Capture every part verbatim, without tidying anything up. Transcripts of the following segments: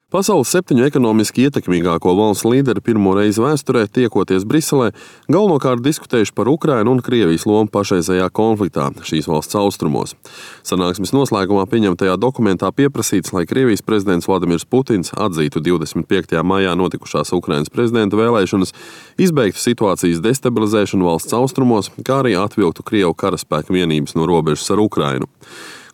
Pasaules septiņu ekonomiski ietekmīgāko valstu līderi pirmo reizi vēsturē, tiekoties Briselē, galvenokārt diskutējuši par Ukrainu un Krievijas lomu pašreizējā konfliktā šīs valsts austrumos. Sanāksmes noslēgumā pieņemtajā dokumentā pieprasīts, lai Krievijas prezidents Vladimirs Putins atzītu divdesmit piektajā maijā notikušās Ukrainas prezidenta vēlēšanas, izbeigtu situācijas destabilizēšanu valsts austrumos, kā arī atvilktu Krievu karaspēku vienības no robežas ar Ukrainu.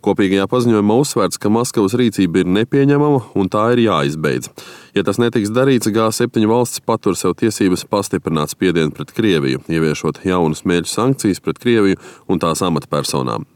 Kopīgajā paziņojumā uzsvērts, ka Maskavas rīcība ir nepieņemama un tā ir jāizbeidz. Ja tas netiks darīts, G septiņu valstis patur sev tiesības pastiprināt spiedienu pret Krieviju, ieviešot jaunas mērķu sankcijas pret Krieviju un tās amatpersonām.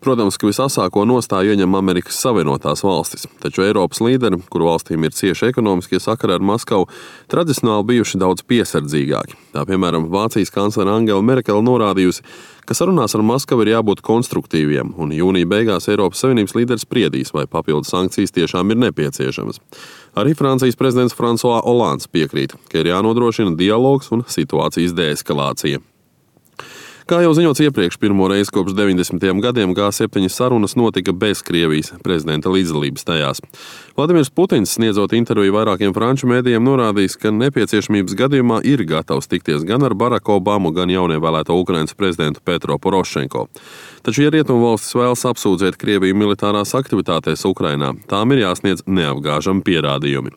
Protams, ka visasāko nostāju ieņem Amerikas Savienotās valstis, taču Eiropas līderi, kuru valstīm ir cieši ekonomiskie sakari ar Maskavu, tradicionāli bijuši daudz piesardzīgāki. Tā piemēram, Vācijas kanclere Angela Merkele norādījusi, ka sarunās ar Maskavu ir jābūt konstruktīviem, un jūnija beigās Eiropas Savienības līderis spriedīs, vai papildu sankcijas tiešām ir nepieciešamas. Arī Francijas prezidents François Hollands piekrīt, ka ir jānodrošina dialogs un situācijas deeskalācija. Kā jau ziņots iepriekš, pirmo reizi kopš deviņdesmitajiem gadiem G septiņu sarunas notika bez Krievijas prezidenta līdzdalības tajās. Vladimirs Putins, sniedzot interviju vairākiem franču mēdījiem, norādījis, ka nepieciešamības gadījumā ir gatavs tikties gan ar Baraku Obamu, gan jaunievēlēto Ukrainas prezidentu Petro Porošenko. Taču, ja rietumvalstis vēlas apsūdzēt Krieviju militārās aktivitātēs Ukrainā, tām ir jāsniedz neapgāžami pierādījumi.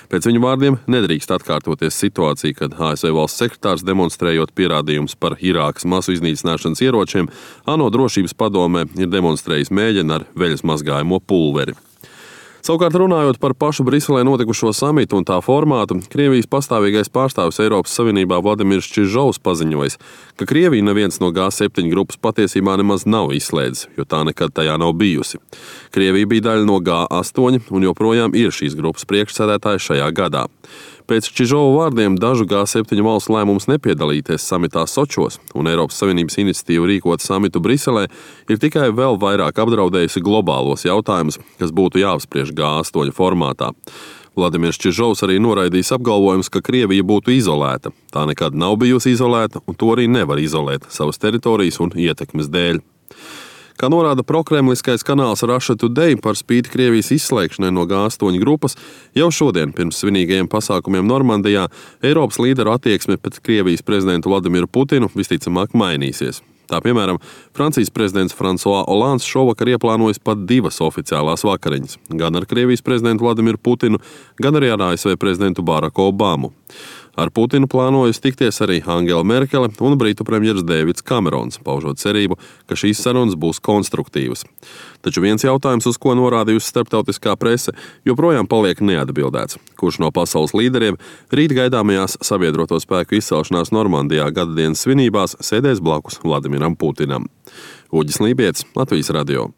Pēc viņu vārdiem nedrīkst atkārtoties situācija, kad A S V valsts sekretārs, demonstrējot pierādījumus par Irākas masu iznīcināšanas ieročiem, ANO drošības padomē ir demonstrējis mēģinu ar veļas mazgājamo pulveri. Savukārt, runājot par pašu Briselē notikušo samitu un tā formātu, Krievijas pastāvīgais pārstāvis Eiropas Savienībā Vladimirs Čižovs paziņojis, ka Krievija neviens no G septiņu grupas patiesībā nemaz nav izslēdzis, jo tā nekad tajā nav bijusi. Krievija bija daļa no G astoņi un joprojām ir šīs grupas priekšsēdētāja šajā gadā. Pēc Čižova vārdiem dažu G septiņu valstu lēmums nepiedalīties samitā Sočos un Eiropas Savienības iniciatīva rīkot samitu Briselē ir tikai vēl vairāk apdraudējusi globālos jautājumus, kas būtu jāapspriež G astoņi formātā. Vladimirs Čižovs arī noraidījis apgalvojumus, ka Krievija būtu izolēta. Tā nekad nav bijusi izolēta, un to arī nevar izolēt savas teritorijas un ietekmes dēļ. Kā norāda prokremliskais kanāls Russia Today, par spīti Krievijas izslēgšanai no G astoņu grupas, jau šodien pirms svinīgajiem pasākumiem Normandijā Eiropas līderu attieksme pret Krievijas prezidentu Vladimiru Putinu visticamāk mainīsies. Tā piemēram, Francijas prezidents François Hollands šovakar ieplānojis pat divas oficiālās vakariņas, gan ar Krievijas prezidentu Vladimiru Putinu, gan arī ar A S V prezidentu Baraku Obamu. Ar Putinu plānojas tikties arī Angela Merkele un Britu premjeras Deivids Kamerons, paužot cerību, ka šīs sarunas būs konstruktīvas. Taču viens jautājums, uz ko norādījusi starptautiskā prese, joprojām paliek neatbildēts. Kurš no pasaules līderiem rīt gaidāmajās sabiedroto spēku izcelšanās Normandijā gadadienas svinībās sēdēs blakus Vladimiram Putinam? Uģis Lībietis, Latvijas radio.